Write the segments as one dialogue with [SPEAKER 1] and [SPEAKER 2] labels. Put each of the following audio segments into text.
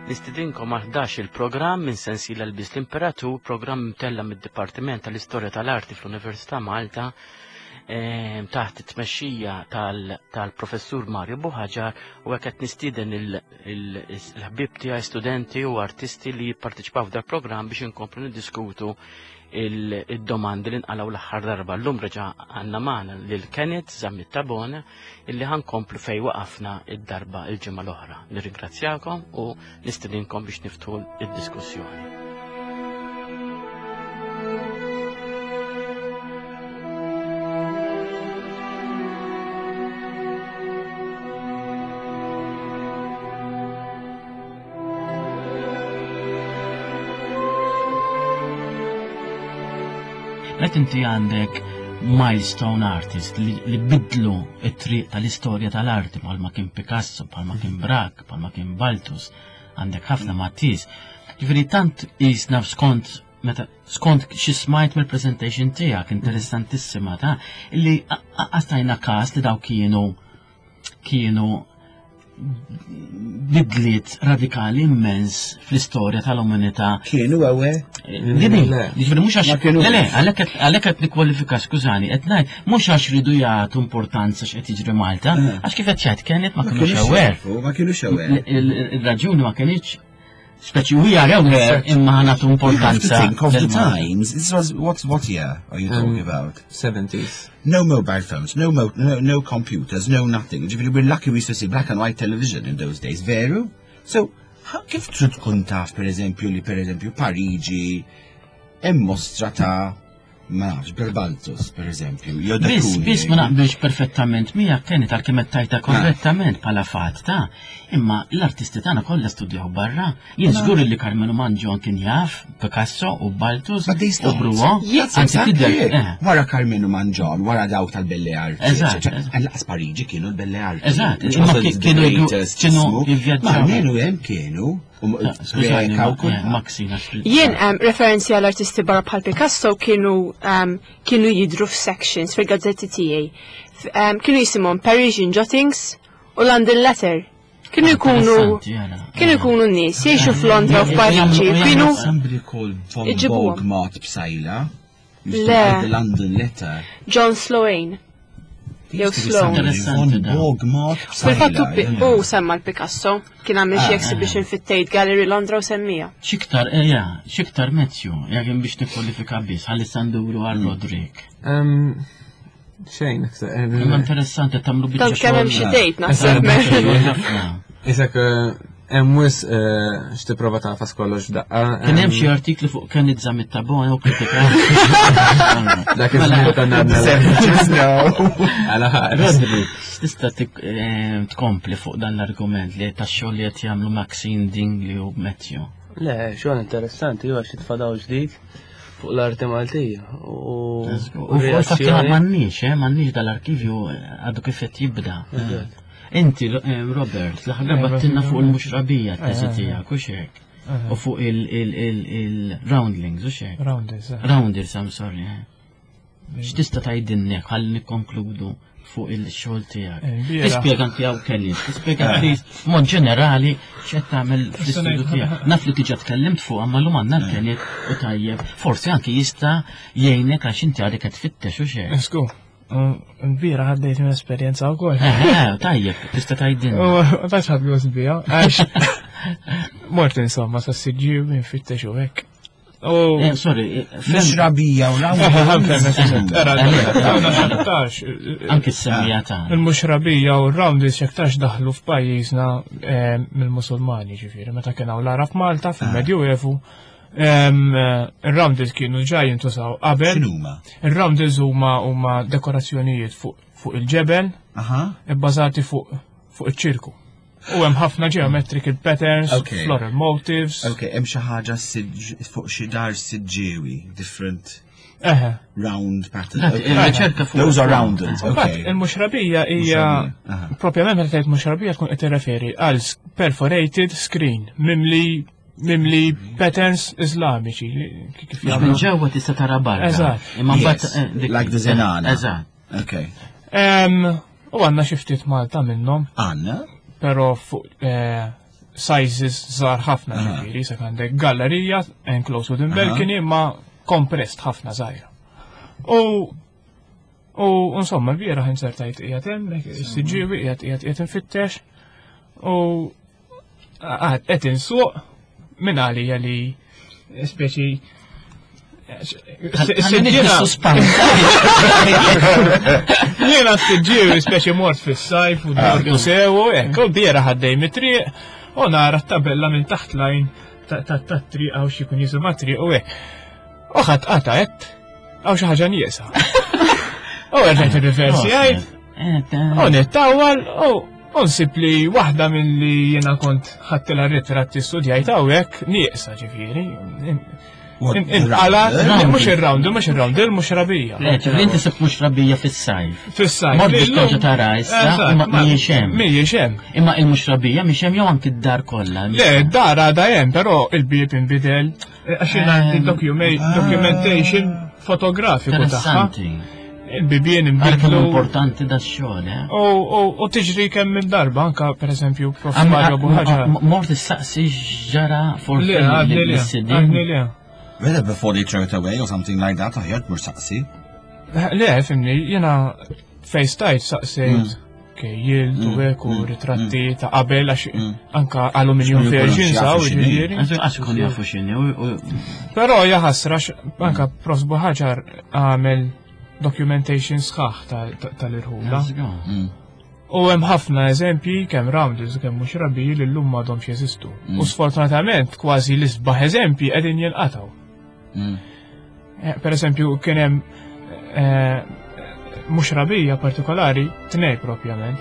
[SPEAKER 1] Nistidinkom għal 11 il-programm minn sensiela l-Biss l-Imperatur, programm mtella mid-Dipartiment tal-Istorja tal-Arti fl-Università Malta ehm, taħt it-tmexxija tal-professur Mario Buħaġar u hekk qed nistieden il-ħbieb tiegħi studenti u artisti li jipparteċipaw f'dal programm biex inkomplu niddiskutu il-domandi li nqalgħu l-aħħar darba. Llum reġa' għandna magħna lil Kenneth Zammit Tabone illi ħankomplu fej waqafna id-darba il-ġimgħa l-oħra. Nirringrazzjakom u nistedinkom biex niftħu id-diskussjoni. Meta inti għandek milestone artist li, li bidlu it-triq tal-istorja tal-arti bħalma kien Picasso, bħalma kien Braque, bħalma kien Baltus, għandek ħafna Matisse. Ġifieri tant jisna skont meta skont xi smajt mill-presentation tiegħek interessantissima ta' li għastajna każ li daw kienu kienu bidliet radikali immens fl-istorja tal-umanità.
[SPEAKER 2] Kienu għawe?
[SPEAKER 1] Dini, ġifieri mhux għax. Le, le, għalhekk qed nikkwalifika skużani, qed ngħid mhux għax ridu jagħtu importanza x'qed jiġri Malta, eh. għax kif qed jgħid kienet ma kinux aware.
[SPEAKER 2] Ma kinux aware.
[SPEAKER 1] Il-raġuni ma kienx Speċi we are aware imma ħanatu importanza.
[SPEAKER 2] Think of the times. This was what what year are you talking um, about?
[SPEAKER 3] 70s.
[SPEAKER 2] No mobile phones, no, mo no no computers, no nothing. Ġifieri we're lucky we used to see black and white television in those days, veru? So, kif trid tkun taf per eżempju li per eżempju Pariġi hemm mostra ta' ma nafx, Berbaltus, per eżempju.
[SPEAKER 1] Biss, biss ma naqbilx perfettament miegħek kienet għal kemm tajta korrettament bħala fatt ta' imma l-artisti tagħna kollha studjaw barra. Jien żgur li Carmelo Mangion kien jaf Picasso u Baltus u Bruo.
[SPEAKER 2] Anzi tidher. Eh. Wara Carmelo Mangion, wara dawk tal-Belle Arti.
[SPEAKER 1] Eżatt.
[SPEAKER 2] Laqas Pariġi kienu l-Belle Arti.
[SPEAKER 1] Eżatt. Imma kienu kienu jivvjaġġaw.
[SPEAKER 2] Ma almenu hemm kienu.
[SPEAKER 4] Jien referenzi għal artisti barra bħal Picasso kienu kienu jidru f'sections fil-gazzetti tiegħi. Kienu jisimhom Parisian Jottings u London Letter. Kienu jkunu kienu jkunu nies jgħixu f'Londra u f'Pariġi, kienu
[SPEAKER 2] Somebody called Von Bogmart Psaila.
[SPEAKER 4] Le.
[SPEAKER 2] London Letter.
[SPEAKER 4] John Sloane. Jew Sloan.
[SPEAKER 2] Fil-fatt
[SPEAKER 4] u semma l-Picasso, kien għamil xi ah, exhibition ah. fit-Tate Gallery Londra u semmija.
[SPEAKER 1] Xiktar, eja, eh, xiktar Matthew, jekk biex nikkwalifika biss, ħalli sanduru għal mm. Rodrik.
[SPEAKER 3] Xejn,
[SPEAKER 1] Imma interessanti tagħmlu
[SPEAKER 4] biċċa. Tant kemm hemm xi tgħid naħseb.
[SPEAKER 3] Isek eh, hemm wis eh, x'tipprova tafas kollox f'daqqa.
[SPEAKER 1] Kien hemm xi artikli fuq Kenneth Zammit Tabone u kritika.
[SPEAKER 3] Dak iż-żmien konna għadna. Għala
[SPEAKER 1] Rodri, tista' eh, tkompli fuq dan l-argument li tax-xogħol li qed jagħmlu Maxine Dingley u Matthew.
[SPEAKER 5] Le, xogħol interessanti, huwa xi tfadaw ġdid fuq l-arti Maltija.
[SPEAKER 1] U fatt m'għandniex, eh, m'għandniex dal-arkivju eh, għadu kif qed jibda. Inti, eh, Robert, l-aħħar darba tinna fuq il-muxrabija t-teżi tiegħek u xek. U fuq il-roundlings u xek.
[SPEAKER 6] Rounders.
[SPEAKER 1] Rounders, I'm sorry. X'tista' tgħidilna ħalli nikkonkludu fuq il-xogħol tiegħek.
[SPEAKER 6] Eh,
[SPEAKER 1] Tispjega anki hawn kelli, tispjega eh. please mod ġenerali x'qed tagħmel fl-istudju tiegħek. Naf li diġà tkellimt fuq imma llum għandna l-kelli u tajjeb. Forsi anki jista' jgħinek għax inti għadek qed tfittex u xejn.
[SPEAKER 6] Sku, Bira ħaddejt minn esperjenza wkoll.
[SPEAKER 1] Eh, tajjeb, tista' tgħidilna.
[SPEAKER 6] U tax ħadd gost bija, għax mort insomma sa siġġiew infittex u hekk.
[SPEAKER 1] Eh, sorry, eh,
[SPEAKER 2] mhux rabija u
[SPEAKER 1] Anki s-semmija ta'
[SPEAKER 6] Il-muxrabija u r-round xektax daħlu f'pajjiżna eh, mill-Musulmani ġifieri, meta kien hawn l-Arab Malta fil-Medjuevu. Ir-roundels kienu ġa jintużaw qabel.
[SPEAKER 2] X'inhuma?
[SPEAKER 6] Ir-roundels huma huma dekorazzjonijiet fuq il-ġebel, ibbażati fuq iċ-ċirku. U hemm ħafna geometrical patterns, okay. floral motifs.
[SPEAKER 2] Ok, hemm xi ħaġa fuq xi dar siġġiewi, different
[SPEAKER 6] Eħe.
[SPEAKER 2] round pattern.
[SPEAKER 1] Riċerka fuq.
[SPEAKER 2] Those are rounded, okay.
[SPEAKER 6] Il-muxrabija hija propjament meta tgħid muxrabija tkun qed tirreferi għal perforated screen mimli mimli patterns iżlamiċi
[SPEAKER 1] kif jagħmlu. Minn ġewwa tista' tara barra.
[SPEAKER 6] Eżatt.
[SPEAKER 1] Imma mbagħad eh,
[SPEAKER 2] like the zenana.
[SPEAKER 1] Eżatt.
[SPEAKER 2] Okay.
[SPEAKER 6] U għanna xi ftit Malta minnhom.
[SPEAKER 2] Għanna?
[SPEAKER 6] Però fuq eh, sizes żgħar ħafna ġifieri, se għandek gallerija enclosed within balcony imma compressed ħafna żgħira. U u insomma l-bieraħ insertajt qiegħed hemm, is-siġġiewi qiegħed qiegħed qiegħed infittex u għad qed insuq minn għalija li speċi Jiena s-siġġiewi speċi mort fis-sajf u dortu sewu, hekk, u biera ħaddej mit-triq u nara t-tabella minn taħt lajn tat-triq għaw xi jkun jisimha triq u hekk. U ħadd qata' qed għaw xi ħaġa nieqsa. U rġajt ir-riversi għajt, u nittawal u nsib li waħda minn li jiena kont ħadtilha ritratti studjajt hawnhekk nieqsa ġifieri. Inqala, mhux ir-round, mhux ir-round, il-mhux rabija.
[SPEAKER 1] Le, ġifieri inti sibt mhux rabija fis-sajf.
[SPEAKER 6] Fis-sajf.
[SPEAKER 1] Mort biex terġa' tara issa, imma mhijiex hemm.
[SPEAKER 6] Mhijiex hemm.
[SPEAKER 1] Imma il-mhux rabija mhix hemm jew anki d-dar kollha.
[SPEAKER 6] Le, d-dar għadha hemm, però il-bieb inbidel. Għax jiena għandi documentation fotografiku tagħha. Il-bibien
[SPEAKER 1] inbidlu. importanti da xogħol, eh?
[SPEAKER 6] U tiġri kemm minn darba anka pereżempju Prof. Mario Buħaġa.
[SPEAKER 1] Mort issaqsi ġara forsi.
[SPEAKER 6] Le, għadni le.
[SPEAKER 2] Whether before they throw it away or something like that, aħjar tmur saqsi.
[SPEAKER 6] Le, fimni, jena fejstajt saqsejt mm. kejjil, mm. u mm. ritratti ta' qabel għax anka aluminium versions għaw ġifieri.
[SPEAKER 1] Għax ikun jafu x'inhi.
[SPEAKER 6] Però jaħasra anka Prof. Buħaġar għamel documentation sħaħ tal-irħula. U hemm ħafna eżempji kemm rounders kemm mhux rabbi li llum m'għadhomx jeżistu. U sfortunatament kważi l-isbaħ eżempji qegħdin jinqatgħu. Eh, per eżempju kien hemm eh, mhux rabija partikolari tnej propjament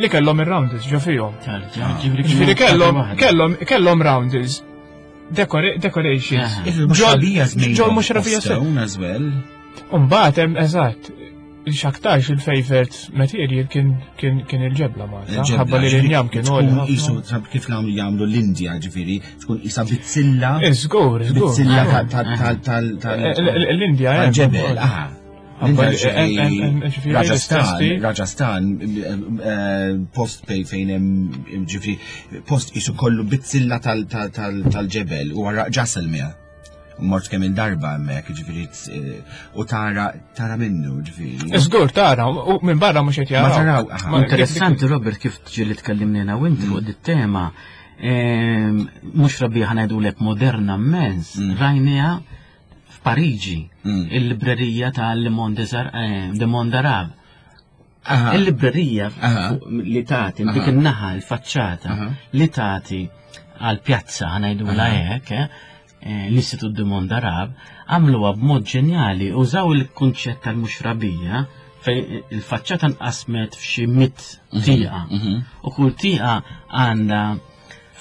[SPEAKER 6] li kellhom ir-rounders ġo fihom. Ġifieri kellhom kellhom kellhom rounders decorations.
[SPEAKER 2] Ġol mhux rabija as well.
[SPEAKER 6] Umbagħad hemm eżatt xaktarx il-favorite material kien kien kien il-ġebla Malta. Ħabba li l-injam kien
[SPEAKER 2] għoli. Isu kif nagħmlu jagħmlu l-Indja ġifieri, tkun isa bizzilla.
[SPEAKER 6] Iżgur,
[SPEAKER 2] iżgur. Bizzilla tal tal
[SPEAKER 6] tal L-Indja
[SPEAKER 2] eh. ġebel, aha. Rajasthan, Rajasthan, eh, post fejn hemm ġifieri post isu kollu bizzilla tal-ġebel u Jaisalmer. Mort kemm il-darba hemmhekk, ġifieri eh, u tara tara minnu, ġifieri.
[SPEAKER 6] Żgur tara, u minn barra mhux qed
[SPEAKER 2] jaraw. Ma taraw.
[SPEAKER 1] Interessanti Robert kif ġieli tkellimna u inti fuq dit-tema. Ehm, mhux rabbi ħanajdulek moderna mmens, mm. rajniha f'Pariġi, mm. il-librerija tal-Le Monde eh, Arabe. Il-librerija li tagħti dik in-naħa l-faċċata li tagħti għal pjazza ħanajdula hekk, eh, eh, l-Istitut du Monde Arab, għamluha b'mod ġenjali, użaw il-kunċett tal-muxrabija fejn il-faċċata nqasmet f'xi mit mhm, tieqa. Mhm. U kull tieqa għandha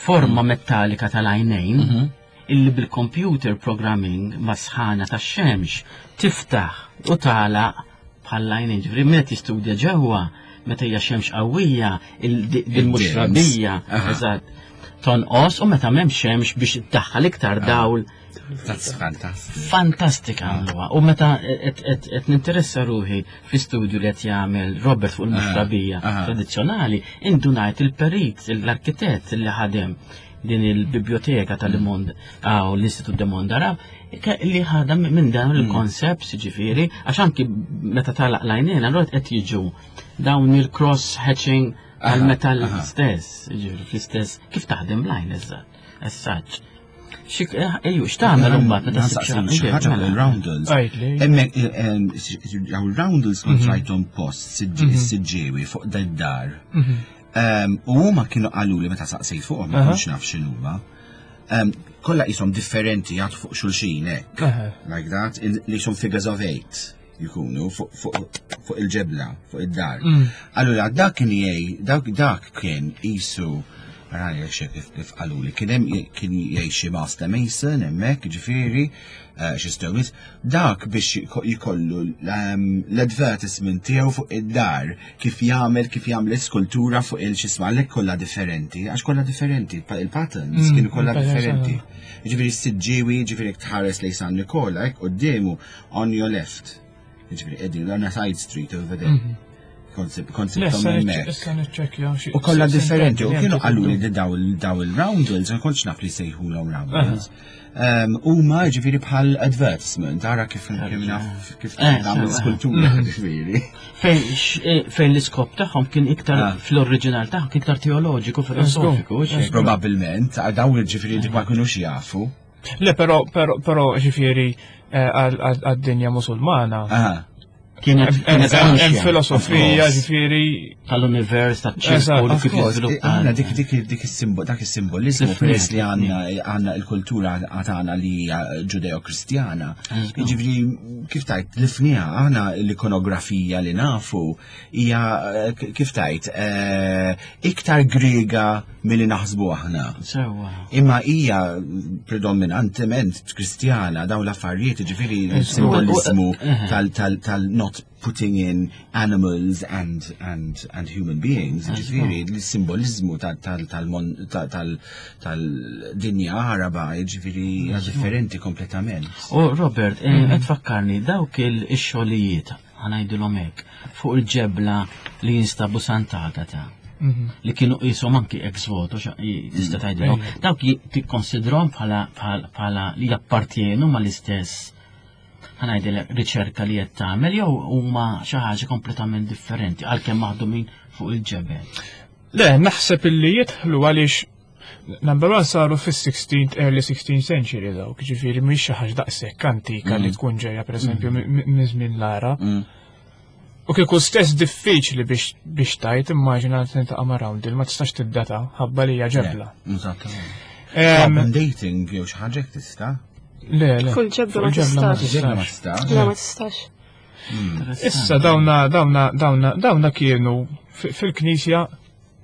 [SPEAKER 1] forma mhm. metallika tal-għajnejn illi bil-computer programming ma' sħana tax-xemx tiftaħ u tagħlaq bħall-għajnejn. Ġifieri min qed jistudja ġewwa meta hija xemx qawwija il-muxrabija eżatt tonqos u meta m'hemm xemx biex iddaħħal iktar ah. dawl.
[SPEAKER 2] That's fantastic.
[SPEAKER 1] Fantastika għamluha. U meta qed ninteressa ruħi fl-istudju li qed jagħmel Robert fuq il-muxrabija ah, ah. tradizzjonali, indunajt il-perit, l-arkitett li ħadem din il-biblioteka tal-Mond għaw l-Istitut de Mond Arab li ħadha minn dan mm. il-konsept ġifieri għax anki meta talaq lajnejn allura qed jiġu dawn il-cross hatching għal-metall stess, ġifieri fl-istess kif taħdem lajn eżatt, essaġġ. Eh, ejju, x'tagħmel imbagħad
[SPEAKER 2] meta xi ħaġa mela. roundels. Hemmhekk eh, eh, roundels kont mhm. rajthom post mhm. siġġiewi fuq dar. Mhm. U huma kienu qaluli meta saqsejt fuqhom ma kontx naf x'inhuma. Kollha qishom differenti jagħtu fuq xulxin hekk. Like that, li qishom figures of eight jkunu fuq il-ġebla, fuq id-dar. Mm. Allura dak kien jgħi, dak dak kien qisu rajja kif kif qaluli, kien hemm kien jgħix xi Master Mason hemmhekk, ġifieri, eh, xi stewis, dak biex jkollu ehm, l-advertisement tiegħu fuq id-dar kif jagħmel kif jagħmel skultura fuq il-xisma għalhekk kollha differenti, għax kollha differenti, il-patterns mm, kienu kollha differenti. Ġifieri s-siġġiewi, ġifieri tħares lejn San Nikola, hekk quddiemu on your left. Ġifieri qegħdin on a side street over there. Mhm. Kont sibthom hemmhekk.
[SPEAKER 6] Issa niċċekkja xi.
[SPEAKER 2] U kollha differenti, u kienu qalu li daw il-roundels, ma kontx naf li sejħulhom roundels. Huma ġifieri bħal advertisement, ara kif naf kif eh, nagħmel skultura mhm. ġifieri.
[SPEAKER 1] Eh, fejn l-iskop tagħhom kien iktar ah. fl-oriġinal tagħhom kien iktar teoloġiku, filosofiku.
[SPEAKER 2] Probabbilment, daw ġifieri dik ma kinux jafu.
[SPEAKER 6] Le, però, però, però ġifieri eh, għad-dinja musulmana.
[SPEAKER 1] Kienet
[SPEAKER 6] hemm filosofija ġifieri
[SPEAKER 1] tal-univers taċ-ċirku
[SPEAKER 2] kif jiżviluppa. Għandna dik dik dik is-simbol dak is-simbolizmu peress li għandna għandna l-kultura għatana li hija ġudeo-kristjana. Ġifieri kif tajt lifniha aħna l-ikonografija li nafu hija eh, kif tajt eh, iktar Griega milli naħsbu aħna.
[SPEAKER 1] Sewwa.
[SPEAKER 2] Imma hija predominantement Kristjana dawn l-affarijiet, ġifieri l-simbolizmu tal-not putting in animals and, and, and human beings, ġifieri l-simbolizmu tal-dinja Araba, ġifieri hija differenti kompletament.
[SPEAKER 1] U Robert, eh, qed tfakkarni dawk il-xogħlijiet ħa ngħidilhom hekk, fuq il-ġebla li jinstabu Sant'Agata. Mhm. Li kienu qishom anki ex voto, tista' mhm. tgħidilhom, dawk tikkonsidrhom bħala li jappartjenu mal-istess ħanajdilek riċerka li qed tagħmel jew huma xi ħaġa kompletament differenti għalkemm maħdumin fuq il-ġebel.
[SPEAKER 6] Le, naħseb illi jidħlu għaliex Number one saru fis-16th, early 16th century dawk, ġifieri mhix xi ħaġa daqshekk antika li mm. tkun ġejja pereżempju mm. minn żmien l-ara. Mm. U kieku stess diffiċli biex biex tajt immaġina tintaqa' ma' roundel ma tistax tiddata ħabba li hija ġebla.
[SPEAKER 2] Eżattament. Dating jew xi ħaġa tista'?
[SPEAKER 6] Le, le.
[SPEAKER 4] Fuq ġebla ma tistax. Le ma tistax.
[SPEAKER 6] Issa dawna dawna dawna dawna kienu fil-knisja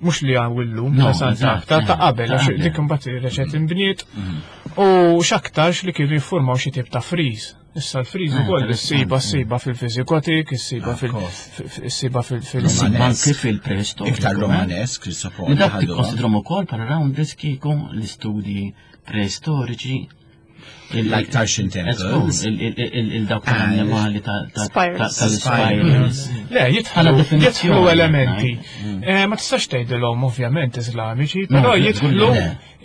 [SPEAKER 6] mhux li għaw illum ta' Sant'Agata ta' qabel għax dik imbagħad reġgħet mm. inbniet mm. u x'aktarx li kienu jiffurmaw xi tip ta' friż. Issa l-friż eh, ukoll issiba ssiba fil-Viżigotik, issiba fil-issiba
[SPEAKER 1] fil-Anki fil-preistoriku.
[SPEAKER 2] Iktar romanesk, suppon.
[SPEAKER 1] Li dak tikkonsidrom ukoll bħala round kieku l-istudji preistoriċi
[SPEAKER 2] Like Tarshin Temples.
[SPEAKER 1] Il-dawk tal-annimali tal-spirals.
[SPEAKER 6] Le, jitħlu elementi. Mm. Eh, ma tistax tgħidilhom ovvjament Iżlamiċi, però jitħlu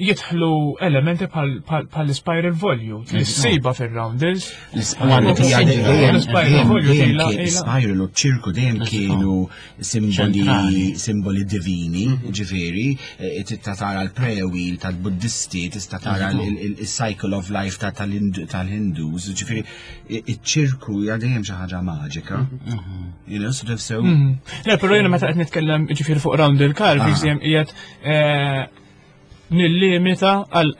[SPEAKER 6] jitħlu elementi bħal-spiral volute, l-siba fil-roundels.
[SPEAKER 2] L-spiral volute, u ċirku dejjem kienu simboli simboli divini, mhm. ġifieri, eh, tista' tara l-prayer wheel tal-Buddisti, tista' tara il-cycle of life tal-Hindus, ġifieri, iċ-ċirku hija dejjem xi ħaġa maġika. Mhm. Mhm. You know, sort of so.
[SPEAKER 6] Le, però jiena meta qed nitkellem ġifieri fuq round il-carvings ah. qiegħed eh, nillimita għal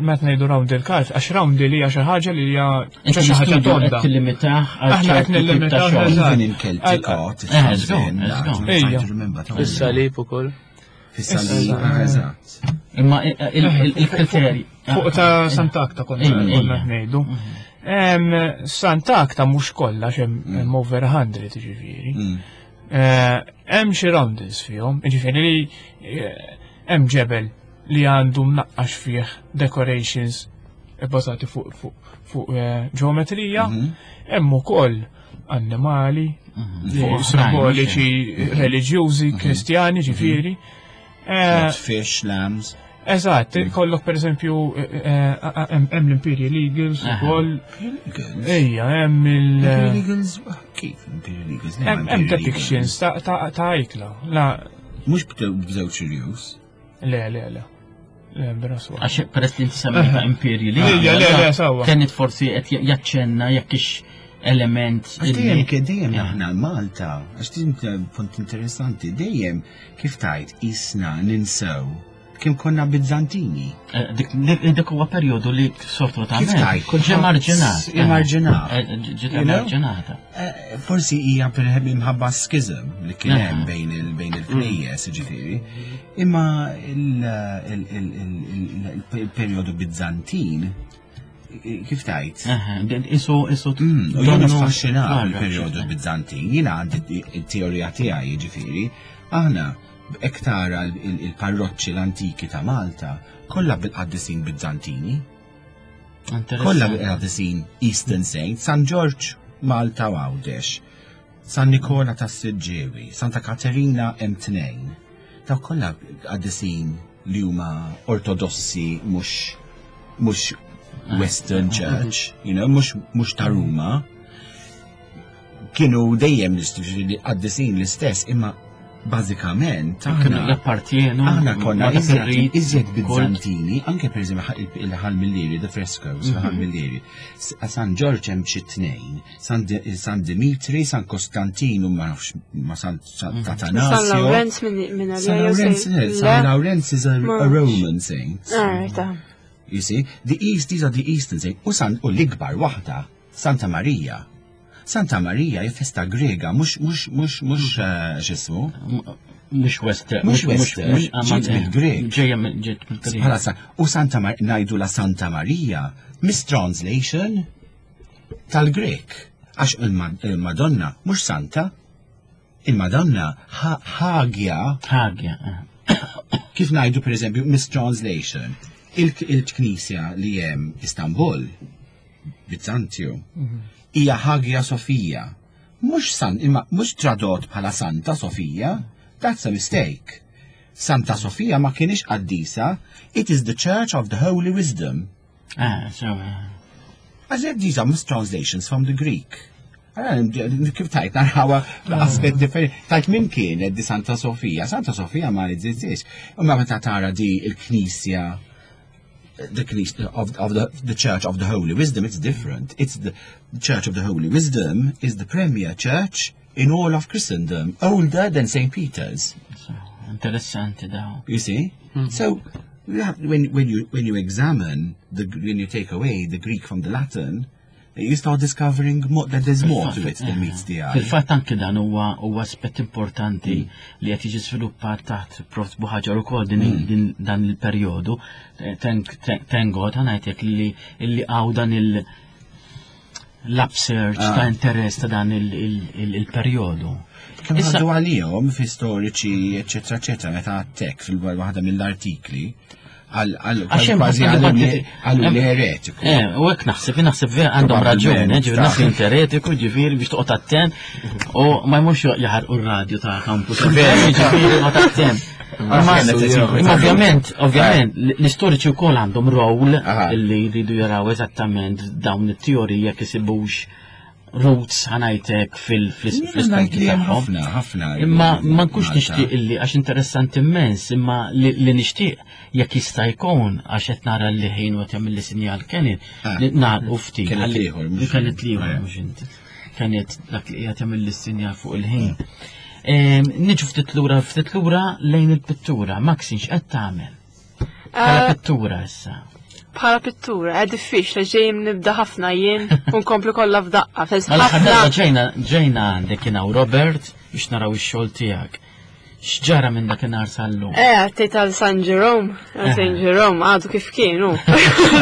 [SPEAKER 6] meta ngħidu round il-kart, għax round li hija xi ħaġa li hija xi ħaġa tonda.
[SPEAKER 1] Tillimitah għal
[SPEAKER 6] Aħna qed nillimitaw
[SPEAKER 2] Even in Celtic art,
[SPEAKER 5] Fis-salib ukoll.
[SPEAKER 2] Fis-salib, eżatt.
[SPEAKER 1] Imma il-kriterji.
[SPEAKER 6] Fuq ta' Sant'Akta konna ngħidu. Mhm. Sant'Akta mhux kollha hemm mm. over 100 ġifieri. Mm. Eh, hemm xi roundels fihom, ġifieri li eh, hemm ġebel li għandu mnaqqax fih decorations bbażati fuq fu, fu, eh, ġeometrija, mhm. hemm ukoll annimali mhm. simboliċi mhm. reliġjużi, kristjani, ġifieri.
[SPEAKER 2] Fish, lambs.
[SPEAKER 6] Eżatt, kollok per eżempju hemm l-Imperial Eagles ukoll. Ejja, hemm il-
[SPEAKER 2] Imperial Eagles, kif Imperial Eagles?
[SPEAKER 6] Hemm depictions ta' ikla.
[SPEAKER 2] Mhux b'żewġ irjus.
[SPEAKER 6] Le, le, le. Le, b'ras
[SPEAKER 1] Għax peress li inti semmejta Imperial
[SPEAKER 6] Eagles. Le, le, sawa.
[SPEAKER 1] Kienet forsi qed jaċċenna jekk ix element.
[SPEAKER 2] Għax dejjem dejjem aħna Malta, għax din punt interessanti, dejjem kif tajt isna ninsew Kim konna Bizzantini.
[SPEAKER 1] Eh, dik huwa perjodu li sfortunatament.
[SPEAKER 2] Kif tajt,
[SPEAKER 1] kull ġie marġinat.
[SPEAKER 2] Ġie marġinat.
[SPEAKER 1] Eh, ġiet marġinata.
[SPEAKER 2] Eh, forsi hija minħabba schism li kien hemm bejn il-knejjes, ġifieri. Imma il-perjodu Bizzantin kif tajt?
[SPEAKER 1] Isu, isu.
[SPEAKER 2] Mm, u jien affaxxinat il-perjodu Bizzantin, jiena għandi it-teorija tiegħi ġifieri, aħna Hekk tara l-parroċċi l-antiki ta' Malta, kollha bil-qaddisin Bizzantini. Kollha bil-qaddisin Eastern Saints, San Ġorġ, Malta u Għawdex. San Nikola tas Siġġiewi, Santa Katerina hemm tnejn. Daw kollha qaddisin li huma ortodossi mhux Western Church, mhux ta' Ruma. Kienu dejjem qaddisin l-istess, imma bażikament
[SPEAKER 1] aħna jappartjenu
[SPEAKER 2] aħna konna iżjed Bizzantini, anke pereżempju il-Ħal Millieri, the frescoes, il-Ħal Millieri. San Ġorġ hemm xi tnejn, San Dimitri, San Kostantinu, ma nafx ma San Atanasio.
[SPEAKER 4] San Lawrenz minn
[SPEAKER 2] San Lawrenz, San Lawrenz is a Roman saint. You see, the East, these are the Eastern saints. U San u l-ikbar waħda, Santa Maria. Santa Maria hi festa Grega, mhux mhux mhux mhux eh, x'ismu.
[SPEAKER 1] Mhux Western.
[SPEAKER 2] Mhux Western, ġiet mill-Grek.
[SPEAKER 1] Ġejja ġiet mill-Grek.
[SPEAKER 2] Bħala u Santa Maria ngħidu la Santa Maria, mistranslation tal-Grek. Għax il-Madonna mhux Santa. Il-Madonna Ħagja.
[SPEAKER 1] Ħagja. Eh.
[SPEAKER 2] Kif ngħidu pereżempju mistranslation. Il-knisja li hemm Istanbul, Bizantju, hija Hagia Sofia. Mhux san, imma mhux tradott bħala Santa Sofia, that's a mistake. Santa Sofia ma kienx qaddisa, it is the Church of the Holy Wisdom.
[SPEAKER 1] Ah, so.
[SPEAKER 2] Għax these are mistranslations from the Greek. Kif tajt, narawa aspet differenti. Tajt minn kienet di Santa Sofia? Santa Sofia ma jeżistix. Imma meta tara di il-Knisja the Knisja of, of the, the Church of the Holy Wisdom, it's different. It's the Church of the Holy Wisdom is the premier church in all of Christendom, older than St. Peter's.
[SPEAKER 1] Interessanti daw.
[SPEAKER 2] You see? Mm -hmm. So you have, when, when, you, when you examine, the, when you take away the Greek from the Latin, you start discovering more, that there's more to it than meets the eye.
[SPEAKER 1] Fil-fatt anke dan huwa huwa aspett importanti mm. li qed jiġi sviluppat taħt Prof. Buħaġar ukoll din, mm. din dan il-perjodu. Thank God ngħidlek li li hawn dan il- l-upsurge ah. ta' interess ta' dan il-perjodu.
[SPEAKER 2] Kemm għandu għalihom fi storiċi, eċetera, eċetera, meta għattek fil-waħda mill-artikli, għal kważi għallu li eretiku.
[SPEAKER 1] Eh, u hekk naħseb, naħseb vera għandhom raġun, eh, ġifieri naħseb inti eretiku, ġifieri biex toqgħod attent u ma jmurx jaħarqu r-radju ta' campus. Ġifieri toqgħod attent. Imma ovvjament, ovvjament, l-istoriċi wkoll għandhom role li jridu jaraw eżattament dawn it-teoriji jekk isibux roots ħa ngħidlek fil-istudji
[SPEAKER 2] tagħhom. Ħafna, ħafna.
[SPEAKER 1] Imma ma nkunx nixtieq illi għax interessanti immens, imma li nixtieq jekk jista' jkun għax qed nara li ħin u qed jagħmel sinjal Kenny ah. li nagħlqu ftit.
[SPEAKER 2] Kienet ieħor,
[SPEAKER 1] Kienet ieħor mhux inti. Kienet dak li qiegħed jagħmel sinjal fuq il-ħin. Niġu ftit lura ftit lura lejn il-pittura. Maxine x'qed tagħmel? Bħala eh, pittura issa.
[SPEAKER 4] Bħala pittura, è diffiċli ġejjem nibda ħafna jien u nkomplu kollha f'daqqa.
[SPEAKER 1] Mela ġejna ġejna għandek kien hawn Robert biex naraw ix-xogħol tiegħek. X'ġara minn dakinhar sal-lum?
[SPEAKER 4] Eh, għattejt tal San Jerome, San Jerome għadu kif kienu.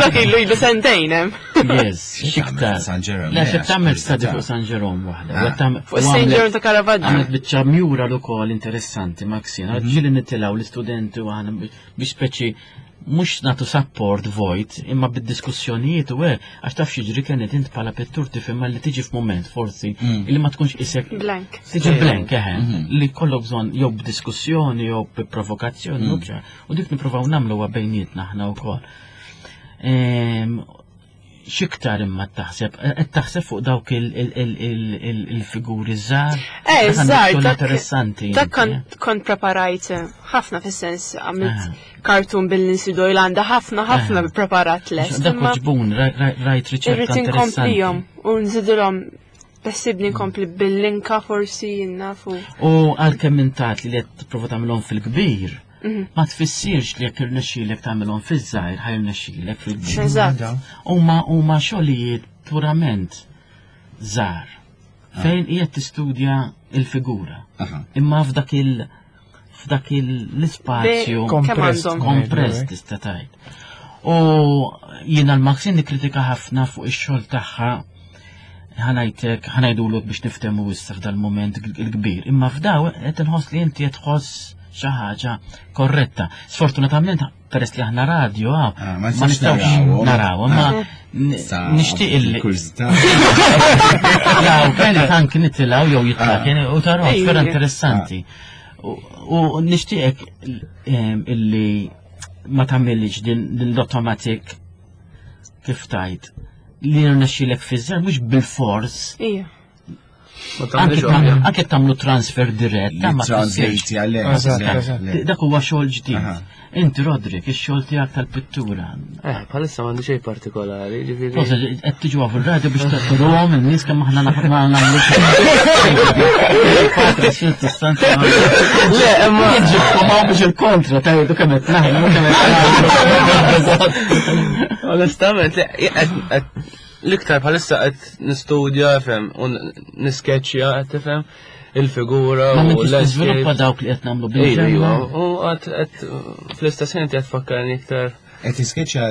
[SPEAKER 4] Dak ilu ilu sentejn hemm.
[SPEAKER 1] Yes, x'iktar.
[SPEAKER 2] San Jerome.
[SPEAKER 1] Le, xi tagħmel study fuq San Jerome waħda.
[SPEAKER 4] Ah. Fuq San Jerome ta' Caravaggio.
[SPEAKER 1] Għamlet biċċa mural ukoll interessanti Maxine. Mhm. Ġieli nitilgħu l-istudenti u aħna biex speċi mhux nagħtu support vojt imma bid-diskussjonijiet u hekk għax taf x'jiġri kienet int bħala pittur tifhem li tiġi f'mument forsi mm. li ma tkunx isek
[SPEAKER 4] blank.
[SPEAKER 1] Tiġi blank eħe mm-hmm. li kollok bżonn jew b'diskussjoni jew b'provokazzjoni mm. u dik nippruvaw nagħmlu bejnietna aħna wkoll. Ehm, xiktar imma taħseb, qed taħseb fuq dawk il-figuri żgħar?
[SPEAKER 4] Eh, żgħar,
[SPEAKER 1] interessanti.
[SPEAKER 4] Dak kont preparajt ħafna fis-sens għamilt ah. cartoon bil-Lindsay Doyle għandha ħafna ħafna ah. preparat lest.
[SPEAKER 1] Dak ġbun, rajt riċerka
[SPEAKER 4] Irrid inkomplihom u nżidilhom Bessibni nkompli bil-linka forsi nafu.
[SPEAKER 1] U għalkemm intat li qed tipprova tagħmilhom fil-kbir, mhm. ma tfissirx li jekk irnexxielek tagħmilhom fiż-żgħir ħa jirnexxielek fil-kbir.
[SPEAKER 4] Eżatt.
[SPEAKER 1] Huma huma xogħlijiet purament żgħar ah. fejn qiegħed tistudja il-figura. Imma f'dak il- f'dak l-ispazju kompress tista' tgħid. U jiena l-Maxine nikkritika ħafna fuq ix-xogħol tagħha ħa ngħidlek, ħa ngħidulek biex niftehmu issa f'dal-moment il-kbir. Imma f'daw qed inħoss li inti qed tħoss. xi ħaġa korretta. Sfortunatament peress li aħna radio ah,
[SPEAKER 2] Ah,
[SPEAKER 1] ma
[SPEAKER 2] ma nistgħux
[SPEAKER 1] nistgħux
[SPEAKER 2] narawhom.
[SPEAKER 1] narawhom, ma
[SPEAKER 2] Ah.
[SPEAKER 1] nixtieq illi
[SPEAKER 2] Kurżità.
[SPEAKER 1] Law, kienet anki nitilgħu jew jitla'
[SPEAKER 2] Ah.
[SPEAKER 1] kien u taraw
[SPEAKER 4] Ejja.
[SPEAKER 1] vera interessanti. U nixtieqek illi ma tagħmilx din l-automatic kif tajt li rnexxilek fiż-żer mhux bil-fors.
[SPEAKER 4] Ija.
[SPEAKER 5] Ma
[SPEAKER 1] Anke
[SPEAKER 5] tagħmilx ovvja.
[SPEAKER 1] anke tagħmlu transfer dirett, ta' ma tfissirx.
[SPEAKER 2] Translate għalek.
[SPEAKER 6] Eżatt, eżatt.
[SPEAKER 1] Dak huwa xogħol ġdid.
[SPEAKER 2] Aha.
[SPEAKER 1] Inti Rodrik, ix-xogħol tiegħek tal-pittura.
[SPEAKER 5] Eh, bħalissa m'għandi xejn partikolari, ġifieri.
[SPEAKER 1] Forse qed tiġu fir-radio biex taqruhom in-nies kemm aħna ma nagħmlux.
[SPEAKER 5] Le, imma
[SPEAKER 1] Ġibkom hawn biex il-kontra tgħidu kemm qed naħdmu kemm qed nagħmlu.
[SPEAKER 5] Onestament, le, l-iktar bħalissa qed nistudja, fem, u niskeċċja, qed tifhem il-figura
[SPEAKER 1] Ma
[SPEAKER 5] u
[SPEAKER 1] m'intix tiżviluppa
[SPEAKER 5] l-landscape.
[SPEAKER 1] dawk li qed nagħmlu
[SPEAKER 5] Ejju,
[SPEAKER 1] bil-ġemma.
[SPEAKER 5] u għad qed fl-istess ħin qed tfakkarni iktar.
[SPEAKER 2] Qed tiskeċċa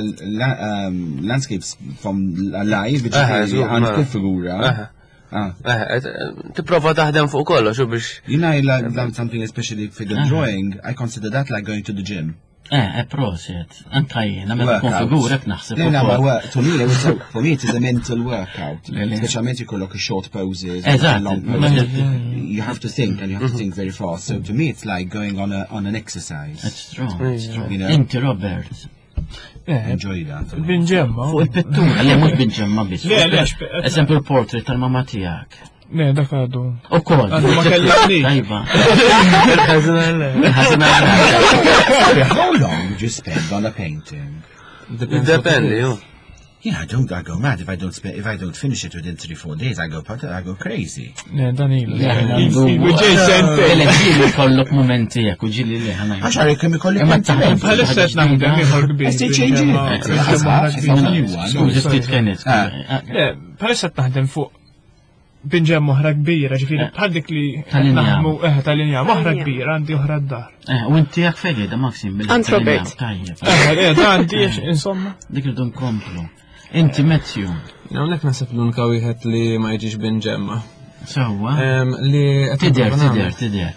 [SPEAKER 2] landscapes from live,
[SPEAKER 5] Aha,
[SPEAKER 2] ġifieri
[SPEAKER 5] żgur,
[SPEAKER 2] għand
[SPEAKER 5] mela.
[SPEAKER 2] kull figura.
[SPEAKER 5] Aha.
[SPEAKER 2] Ah.
[SPEAKER 5] Eh, tipprova taħdem fuq kollox u biex
[SPEAKER 2] You know, I like like something especially figure drawing, I consider that like going to the gym.
[SPEAKER 1] Eh, proset, anka jiena meta tkun
[SPEAKER 2] Workout.
[SPEAKER 1] figura hekk naħseb
[SPEAKER 2] No, no,
[SPEAKER 1] ukoll.
[SPEAKER 2] my work, for me, it was a, for me it is a mental workout.
[SPEAKER 1] Le, le.
[SPEAKER 2] Speċjalment jkollok short poses,
[SPEAKER 1] Eżatt.
[SPEAKER 2] long poses. You have to think and you have to think very fast. So to me, it's like going on a on an exercise.
[SPEAKER 1] It's true, it's true.
[SPEAKER 2] You know?
[SPEAKER 1] Inti Robert,
[SPEAKER 6] Eh,
[SPEAKER 2] Enjoy that.
[SPEAKER 6] Binġemma.
[SPEAKER 1] fuq il-pittura, le mhux binġemma biss.
[SPEAKER 6] Le, le,
[SPEAKER 1] Eżempju il-portrait tal-mama tiegħek.
[SPEAKER 6] Ne, dak għadu.
[SPEAKER 1] U kol.
[SPEAKER 6] Għadu ma kellimnix.
[SPEAKER 1] Tajba.
[SPEAKER 5] il-ħażin
[SPEAKER 1] Ħażina
[SPEAKER 2] Sorry, how long would you spend on a painting?
[SPEAKER 5] Dependi, ju.
[SPEAKER 2] Yeah, I don't. I go mad if I don't spend, if I don't finish it within 3-4 days. I go crazy.
[SPEAKER 6] Ne, dan ilu.
[SPEAKER 1] Le, għandu-
[SPEAKER 6] Ilu ġej sentejn.
[SPEAKER 1] Le, ġili kollok momenti jekk u ġili li ħana.
[SPEAKER 2] Għax għarek kemm ikolli
[SPEAKER 1] Imma
[SPEAKER 2] pentiment.
[SPEAKER 1] taħdem
[SPEAKER 6] Bħalissa qed naħdem ieħor kbir.
[SPEAKER 2] Qed change
[SPEAKER 6] binġemma-
[SPEAKER 2] it.
[SPEAKER 6] binġemma oħra kbira.
[SPEAKER 1] Skużi ftit kienet.
[SPEAKER 2] Ah.
[SPEAKER 6] Le, bħalissa qed naħdem fuq binġemma oħra kbira, ġifieri
[SPEAKER 1] Eh.
[SPEAKER 6] bħal dik li qed
[SPEAKER 1] Tal-injam.
[SPEAKER 6] naħdmu eh tal-injam oħra
[SPEAKER 4] Tal-injam.
[SPEAKER 6] kbira, għandi oħra d-dar.
[SPEAKER 1] Eh, U inti jak fejn qiegħda Maxim bil
[SPEAKER 4] Ant Robert.
[SPEAKER 1] Tajjeb.
[SPEAKER 6] Eh, eh, da għandi insomma.
[SPEAKER 1] Dik irridu nkomplu. Inti Matthew.
[SPEAKER 3] Hawnhekk naħseb l-unika wieħed li ma jiġix binġemma.
[SPEAKER 1] Sewwa.
[SPEAKER 3] Li qed
[SPEAKER 1] Tider,
[SPEAKER 3] nipprova
[SPEAKER 1] tider,
[SPEAKER 3] nagħmel.
[SPEAKER 1] tider.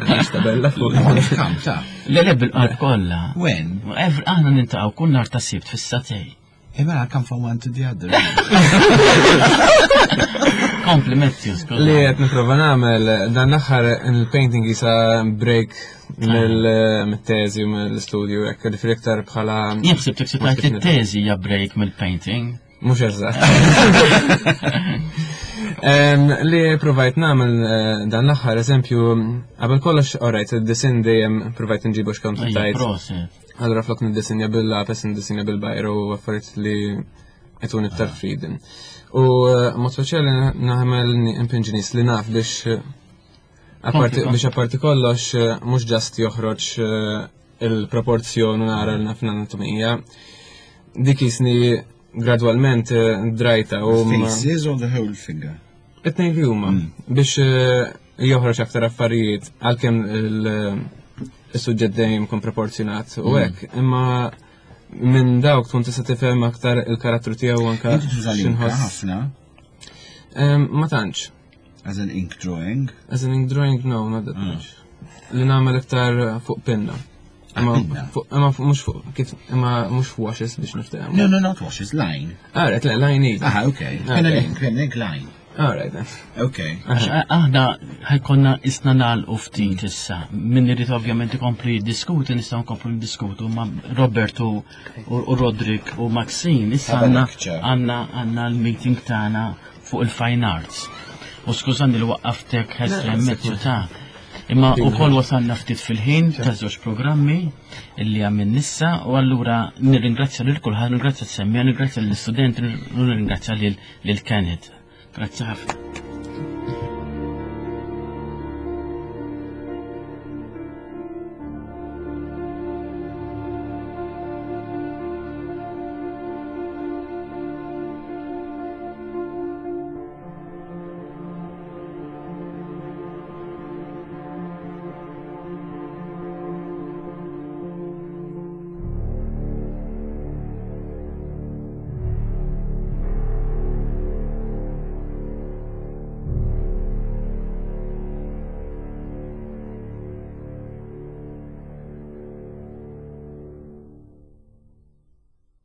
[SPEAKER 3] Għax tabella fuq.
[SPEAKER 2] Come, ta.
[SPEAKER 1] Le le bil-qalb kollha.
[SPEAKER 2] When?
[SPEAKER 1] Aħna nintaqgħu kull nhar ta' sibt fis-satej.
[SPEAKER 2] Hey, man, I come from one to the other.
[SPEAKER 1] Kompli Matthew, skuża.
[SPEAKER 3] Li qed nipprova nagħmel dan l-aħħar il-painting jisa break mill-teżi u mill-istudju hekk ġifieri iktar bħala
[SPEAKER 1] Jien ħsibtek se tgħid it-teżi hija break mill-painting.
[SPEAKER 3] Mhux eżatt. Li provajt nagħmel dan l-aħħar eżempju qabel kollox alright id-disin dejjem provajt nġibu x'kont
[SPEAKER 1] Ejja,
[SPEAKER 3] tajt.
[SPEAKER 1] proset.
[SPEAKER 3] Allura flok niddisinja bil-lapis, niddisinja bil-bajru u affarijiet li jtuni iktar freedom. U mod speċjali naħmel impinġi nies li naf biex
[SPEAKER 1] Kompli,
[SPEAKER 3] biex apparti kollox mhux ġast joħroġ il-proporzjon u nara l-naf l-anatomija. Dik jisni gradwalment drajta u
[SPEAKER 2] Faces or the whole figure?
[SPEAKER 3] it-tnejn li huma biex joħroġ aktar affarijiet għalkemm il-suġġett dejjem jkun proporzjonat u hekk, imma minn dawk tkun tista' tifhem aktar il-karattru tiegħu anke
[SPEAKER 2] Inti tuża l-inka
[SPEAKER 3] x'inħoss.
[SPEAKER 2] ħafna
[SPEAKER 3] Ma tantx.
[SPEAKER 2] as an ink drawing.
[SPEAKER 3] As an ink drawing, no, not that much. Li nagħmel iktar fuq pinna. Imma
[SPEAKER 2] pinna?
[SPEAKER 3] imma mhux fuq kif imma mhux washes biex niftehmu.
[SPEAKER 2] No, no, not washes, line.
[SPEAKER 3] Alright, le, line iva.
[SPEAKER 2] Ah, okay. Pen and ink, pen and ink line.
[SPEAKER 3] Alright then.
[SPEAKER 2] Okay.
[SPEAKER 1] Għax aħna ħajkonna isna nagħlqu ftit issa. Min irid ovvjament ikomplu jiddiskuti, nistgħu nkomplu niddiskutu ma' Robert u Rodrik u Maxine. Issa
[SPEAKER 2] Have a
[SPEAKER 1] għandna
[SPEAKER 2] lecture.
[SPEAKER 1] għandna għandna l-meeting tagħna fuq il-fine arts. U skużani li waqqaftek ħesrem mezzu ta' Imma u koll wasalna ftit fil-ħin ta' żewġ programmi illi għamil nissa u allura nirringrazzja lil kulħadd, nirringrazzja s-semmija, nirringrazzja lill-istudenti, nirringrazzja lil Kenneth. Grazzi ħafna.